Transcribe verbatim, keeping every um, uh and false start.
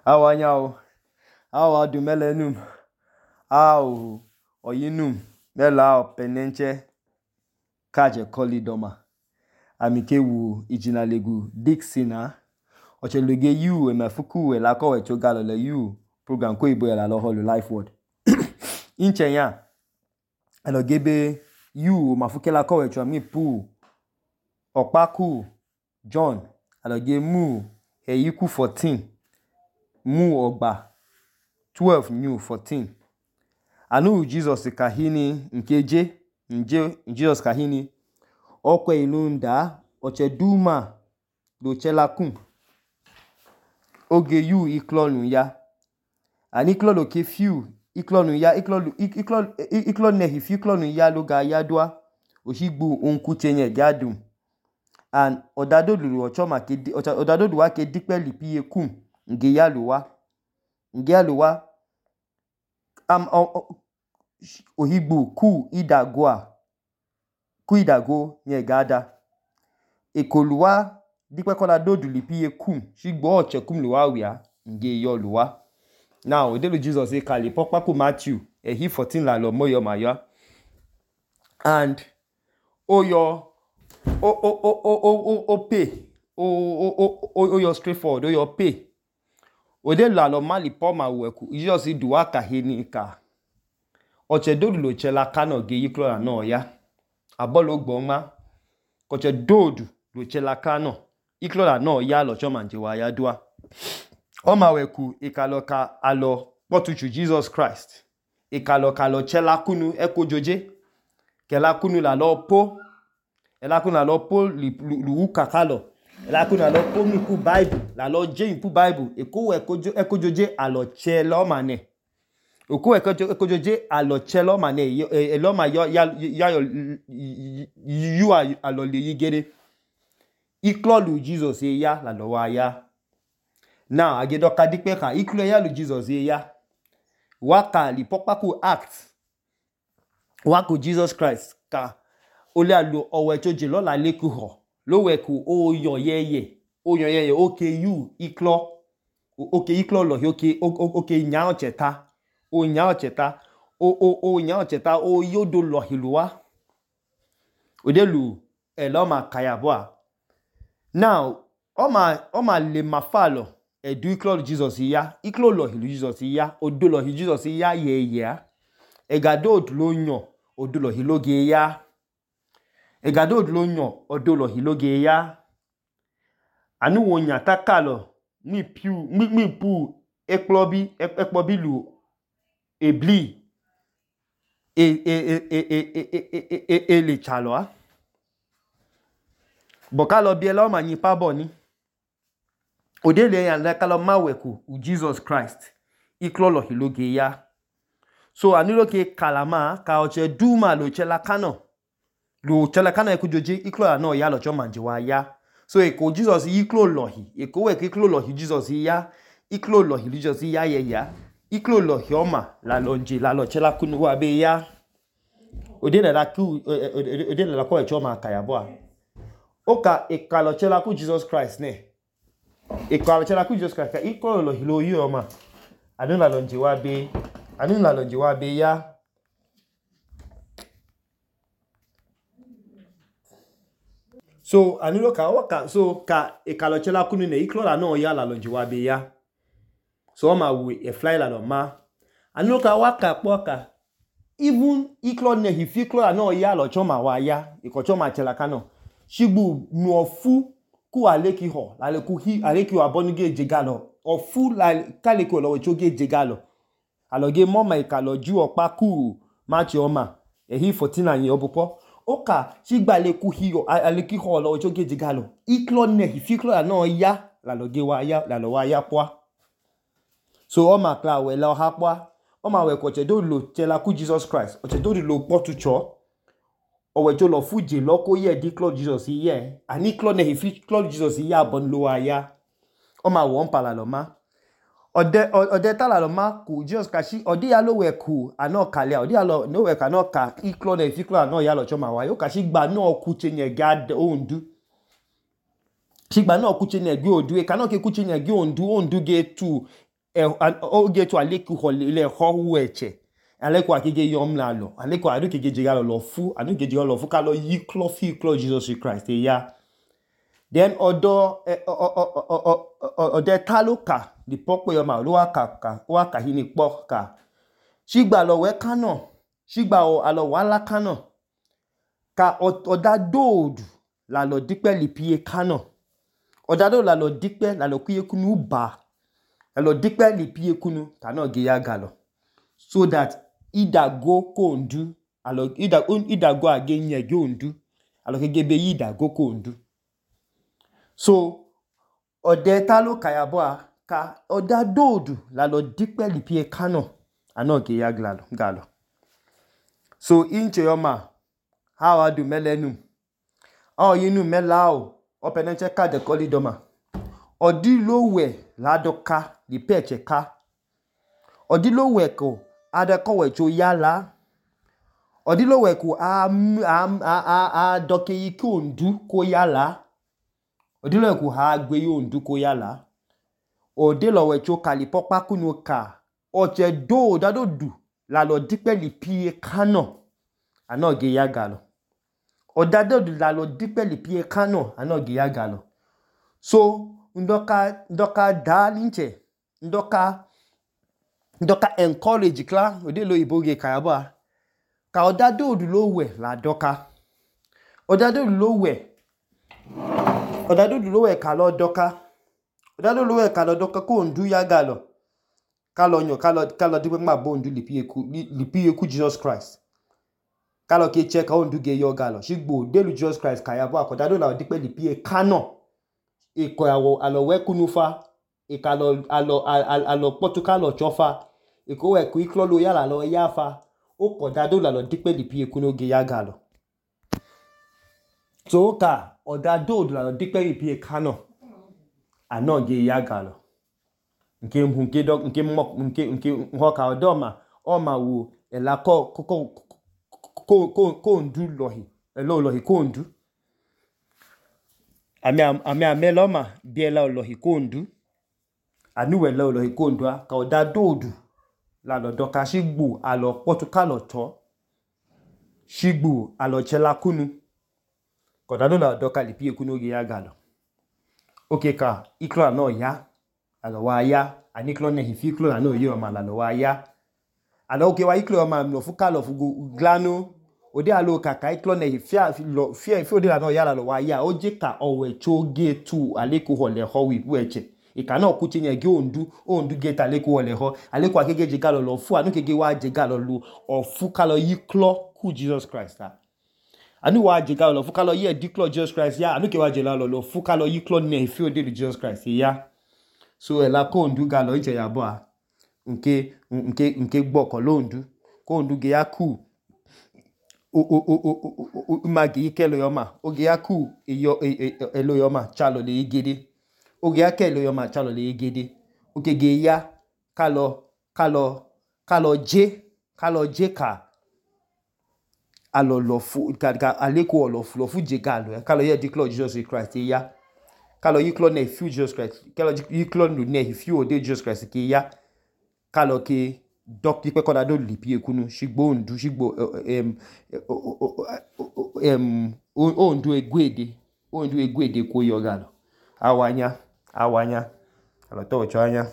Awa nyao, awa dumelenum, au oyinum, mela penenche, kaje kolidoma. Amike wu ijinalegu Dixina. Oche luge yu emefuku elako wecho galole yu program ko ibo la holu life word. Inche ya, elo gebe yu mafuke lako wecho ami pu okpaku John, elo ge mu eyiku fourteen. Mu ogba twelve new fourteen. Anu Jesus kahini nkeje nje Jesus kahini okwe ilunda oche duma do chelakun oge yu iklonu ya ani klonu ke few iklonu ya iklonu iklonu iklonu nehi few iklonu ya loga ya dua oshigbu onkuchenye gadum and odadodu ochoma ke odadodu wa ke dikpe lipiye kum nge ya luwa nge ya luwa am ohigbu ku idagwa ku idago nye gada ekoluwa dikpe kola dodu lipiye kum shigbo oche kum luwa wia nge yo luwa. Now odelu Jesus e kali pokpa ku Matthew ehi fourteen la lo moyo mayo and oyo o o o o o o pay o o o oyo straightforward oyo pay odelu la lo mali po ma weku Jesus duwa kahini ka oche dodu lo chela kano ge yiklo la no ya abolo gboma koche dodu lo chela kano iklo la no ya lo choma nje wa ya dua oma weku ikaloka alo potuchu Jesus Christ ikaloka lo chela kunu ekojoje kela kunu la lo po ela kunu la lo po lu kakalo ela kunu la lo po mi ku Bible la lo je pu Bible eko ekojo ekojoje alo chelo mane oku ekojoje alo chelo mane elo ma yo ya ya yu alo le yigere iklo lu Jesus e ya la lo wa ya. Now agedo kadikpe kan iklo ya lu Jesus e ya waka li pokpa ku act waku Jesus Christ ka ole alu owe choje lo la leku ho lo weku o yo yeye o yo yeye oke yu iklo oke iklo lo oke oke nya ocheta o nya ocheta o o o nya ocheta o yodo lo hiluwa odelu elo ma kayabwa. Now oma oma le mafalo edu iklo Jesus ya iklo lo hilu Jesus ya odo lo hilu Jesus ya ye ya egado odlo nyo odo lo hiloge ya egado odlo nyo odo lo hiloge ya anu wonya takalo mi piu mi mi pu ekplobi ekplobi lu ebli e e e e e e e e le chalo bokalo biela ma nyi pabo ni odele yan la kalo maweku u Jesus Christ iklo lo hiloge ya so anilo ke kalama ka oche duma lo chela kano lo chela kano ekujoje iklo la no ya lo choma nje wa ya so eko Jesus iklo lo hi eko we iklo lo hi Jesus ya iklo lo hi Jesus ya ye ya iklo lo hi oma la lo nje la lo chela kunu wa be ya odele la ku odele la ko e choma kayabo oka ekalo chela ku Jesus Christ ne ekalo chela ku Jesus Christ ka iklo lo hi lo yi oma anu la lo nje wa be anu la lo nje wa be ya so anilo ka waka so ka ekalo chela kunu ne iklo la no ya la lo nje wa be ya so oma we e fly la lo ma anilo ka waka poka even iklo ne hi fi iklo la no ya lo choma wa ya iko choma chela kano shigbu nu ofu ku aleki ho la le ku hi aleki wa bonuge jegalo ofu la kaleki lo we choge jegalo aloge moma ikalo ju opa ku machi oma ehi fourteen anyi obupo oka shigba le ku hi aleki ho lo we choge jegalo iklo ne hi fi iklo la no ya la loge wa ya la lo wa ya kwa so oma kla we la ha kwa oma we ko che do lo chela ku Jesus Christ o che do lo potucho owe jo lo fuje lo ko ye di iklo Jesus ye ani iklo ne hi fi iklo Jesus ya bon lo wa ya oma won pala lo ma ode ode tala lo ma ku Jesus kashi ode ya lo we ku ano kale ode ya lo no we ka no ka iklo ne fi iklo no ya lo choma wa yo kashi gba no ku chenye gad ondu shigba no ku chenye gbe odu e ka no ke ku chenye gbe ondu ondu ge tu oge tu aleku hole ho weche aleku akege yom la lo aleku adu kege jiga lo fu adu kege jiga lo fu ka lo yi klo fi klo Jesus Christ e ya then odo ode taloka di popo yo ma lo aka ka o aka hini po ka shigba lo we kano shigba o alo wala kano ka oda dodu la lo dipe lipie kano oda do la lo dipe la lo kuye kunu ba la lo dipe lipie kunu kano ge ya galo so that ida go kondu alo ida ida go agenye ge ondu alo kege be ida go kondu so ode taloka ya bo ka oda dodu la lo dipe lipie kano ano ge ya galo galo so inche yoma how adu melenu o yinu melao openenche ka de kolidoma odi lowe la doka di peche ka odi lowe ko ada ko we cho yala odi lowe ko a a a a doke yi ko ndu ko yala odi lowe ko ha gbe yo ndu ko yala odi lowe cho kali popa kunu ka oche do dado du la lo dipe lipie kano ano ge ya galo odado du la lo dipe lipie kano ano ge ya galo so ndoka ndoka dalinche ndoka ndoka encourage kla ode lo iboge kayaba ka odado du lo we la doka odado du lo we odado du lo we ka lo doka odado lo we ka lo doka ko ndu ya galo ka lo nyo ka lo ka lo dipe ma bo ndu lipie ku lipie ku Jesus Christ ka lo ke che ka ndu ge yo galo shigbo de lu Jesus Christ kayaba akodado la dipe lipie kano iko awo alo we kunufa ikalo alo alo potuka lo chofa iko we ku iklo lo yala lo yafa o kodado la lo dipe lipie kunu ge ya galo so ka odado la lo dipe lipie kano ano ge ya galo nke nke do nke mo nke nke ho ka odoma o ma wo ela ko ko ko ko ko ndu lohi elo lohi ko ndu Ami ami ameloma biela olohi kondu anu wele olohi kondu ka oda dodu la lo doka shigbu alo potuka lo to shigbu alo chela kunu ko da do la doka lipie kunu ge ya galo okay ka iklo no ya alo wa ya aniklo ne hifiklo no yo ma la lo wa ya alo okay wa iklo ma no fuka lo fugu glano ode alo kaka iklo ne fia lo fia fi ode la no yala lo wa ya oje ka owe choge tu aleku hole ho wi bueche e ka na ku tinye ge ondu ondu ge ta aleku hole ho aleku akege je galo lo fu anu kege wa je galo lu ofu kalo yiklo ku Jesus Christ ta anu wa je galo lo fu kalo ye diklo Jesus Christ ya anu ke wa je galo lo fu kalo yiklo ne fi ode Jesus Christ ya so ela ko ondu galo nche ya bo a nke nke nke gboko lo ondu ko ondu ge ya ku o o o o magi kelo yoma oge yaku eyo elo yoma chalo le igede oge yakelo yoma chalo le igede oge ge ya kalo kalo kalo je kalo je ka alo lo fu ka aleku lo fu lo fu je galo kalo ye declare Jesus Christ ya kalo yiklo ne fu Jesus Christ kalo yiklo ne fu ode Jesus Christ ke ya kalo ke dok dipe koda do lipie kunu shigbo ndu shigbo em em o ndu egwede o ndu egwede ko yo galo awanya awanya alo to cho anya